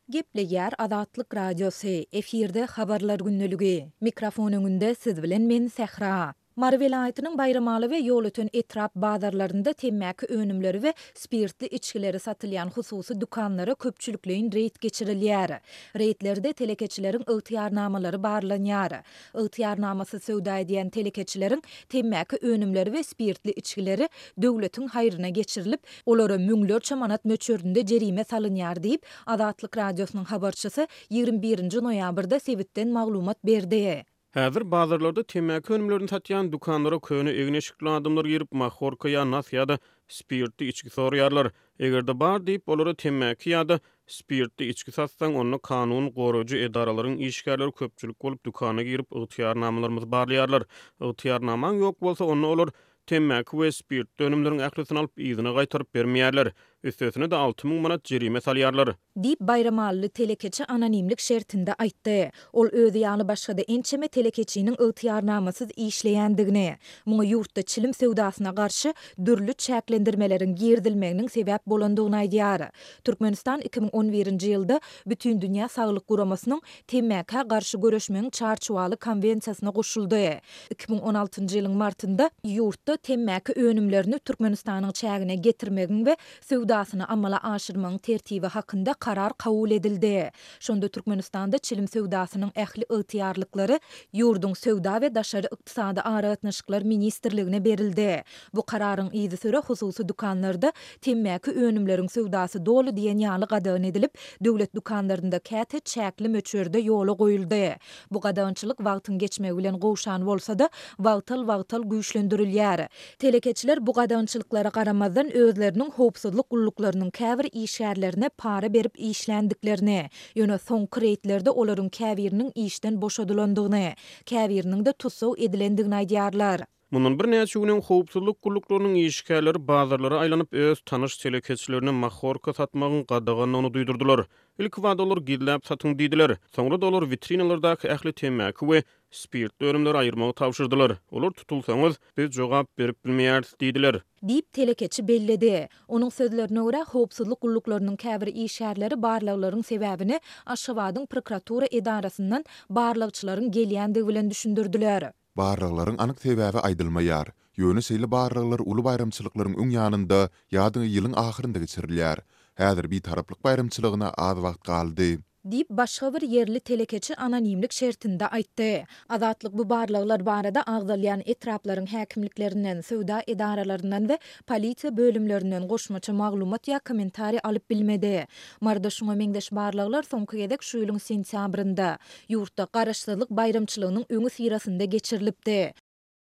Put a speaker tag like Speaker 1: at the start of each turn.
Speaker 1: Gepleýär Azatlyk Radiosy, efirde Habarlar gündeligi. Mikrofon öňünde siz bilen men Sähra. Mary welaýatynyň Baýramaly we Ýolöten etrap bazarlarynda temmäki önümleri we spirtli içgileri satylýan hususy dükanlara köpçülikleýin reýd geçirilýär. Reýdlerde telekeçileriň ygtyýarnamalary barlanýar. Ygtyýarnamasyz söwda edýän telekeçileriň temmäki önümleri we spirtli içgileri döwletiň haýryna geçirilip, olara müňlerçe manat möçberinde jerime salynýar diýip, Azatlyk Radiosynyň habarçysy 21 nji noýabrda sebitden maglumat berdi.
Speaker 2: Häzir bazarlarda temmäki önümlerini satýan dükanlara köne egin-eşikli adamlar girip, mahorka ýa nas ýa-da spirtli içgi soraýarlar. Eger-de bar diýip, olara temmäki ýa-da spirtli içgi satsaň, onda kanun goraýjy edaralaryň işgärleri köpçülik bolup dükana girip, ygtyýarnamalarymyzy barlaýarlar. Ygtyýarnamaň ýok bolsa, onda olar temmäki we spirtli önümleriň ählisini alyp, yzyna gaýtaryp bermeýärler. Üstesine-de 6000 manat jerime salýarlar.
Speaker 1: Diýip, baýramalyly telekeçi anonimlik şertinde aýtdy. Ol özi ýaly başga-da ençeme telekeçiniň ygtyýarnamasyz işleýändigini, muňa ýurtda çilim söwdasyna garşy dürli çäklendirmeleriň girizilmeginiň sebäp bolandygyny aýdýar. Türkmenistan 2011-nji ýylda Bütindünýä saglyk guramasynyň Temmäkä garşy göreşmegiň çarçuwaly konwensiýasyna goşuldy. 2016-njy ýylyň martynda ýurtda temmäki önümlerini Türkmenistanyň çägine getirmegiň we söwdasyny amala aşyrmagyň tertibi hakynda karar kabul edildi. Şonda Türkmenistanda çilim söwdasynyň ähli ygtyýarlyklary ýurduň Söwda we daşary ykdysady aragatnaşyklar ministrligine berildi. Bu kararyň yzysüre hususy dükanlarda temmäki önümleriň söwdasy doly diýen ýaly gadagan edilip, döwlet dükanlarynda käte çäkli möçberde ýola goýuldy. Bu gadagançylyk wagtyň geçmegi bilen gowşan bolsa-da, wagtal-wagtal güýçlendirilýär. Telekeçiler bu gadagançylyklara garamazdan özleriniň howpsuzlyk gulluklarynyň käbir işgärlerine para berip işländiklerini, ýöne soňky reýdlerde olaryň käbiriniň işden boşadylandygyny, käbiriniň-de tussag edilendigini aýdýarlar.
Speaker 2: Mundan birnäçe gün öň howpsuzlyk gulluklarynyň işgärleri bazarlara aýlanyp, öz tanyş telekeçilerine mahorka satmagyň gadagandygyny duýdurdylar. Ilkibada olar gizläp satyň diýdiler. Soňra-da olar witrinalardaky ähli temmäki we spirtli önümleri aýyrmagy tabşyrdylar. Olar tutulsaňyz, biz jogap berip bilmeýäris diýdiler.
Speaker 1: Diýip, telekeçi belledi. Onuň sözlerine görä, howpsuzlyk gulluklarynyň käbir işgärleri barlaglaryň sebäbini Aşgabadyň prokuratura edarasyndan barlagçylaryň gelýändigi bilen düşündirdiler.
Speaker 3: Barlaglaryň anyk sebäbi aýdylmaýar. Ýöne şeýle barlaglar uly baýramçylyklaryň öň ýanynda ýa-da ýylyň ahyrynda geçirilýär. Häzir Bitaraplyk baýramçylygyna az wagt galdy.
Speaker 1: Diýip, başga bir ýerli telekeçi anonimlik şertinde aýtdy. Azatlyk bu barlaglar barada agzalýan etraplaryň häkimliklerinden, söwda edaralaryndan we polisiýa bölümlerinden goşmaça maglumat ýa kommentariý alyp bilmedi. Maryda şuňa meňzeş barlaglar soňky gezek şu ýylyň sentýabrynda, ýurtda Garaşsyzlyk baýramçylygynyň öňüsyrasynda geçirilipdi.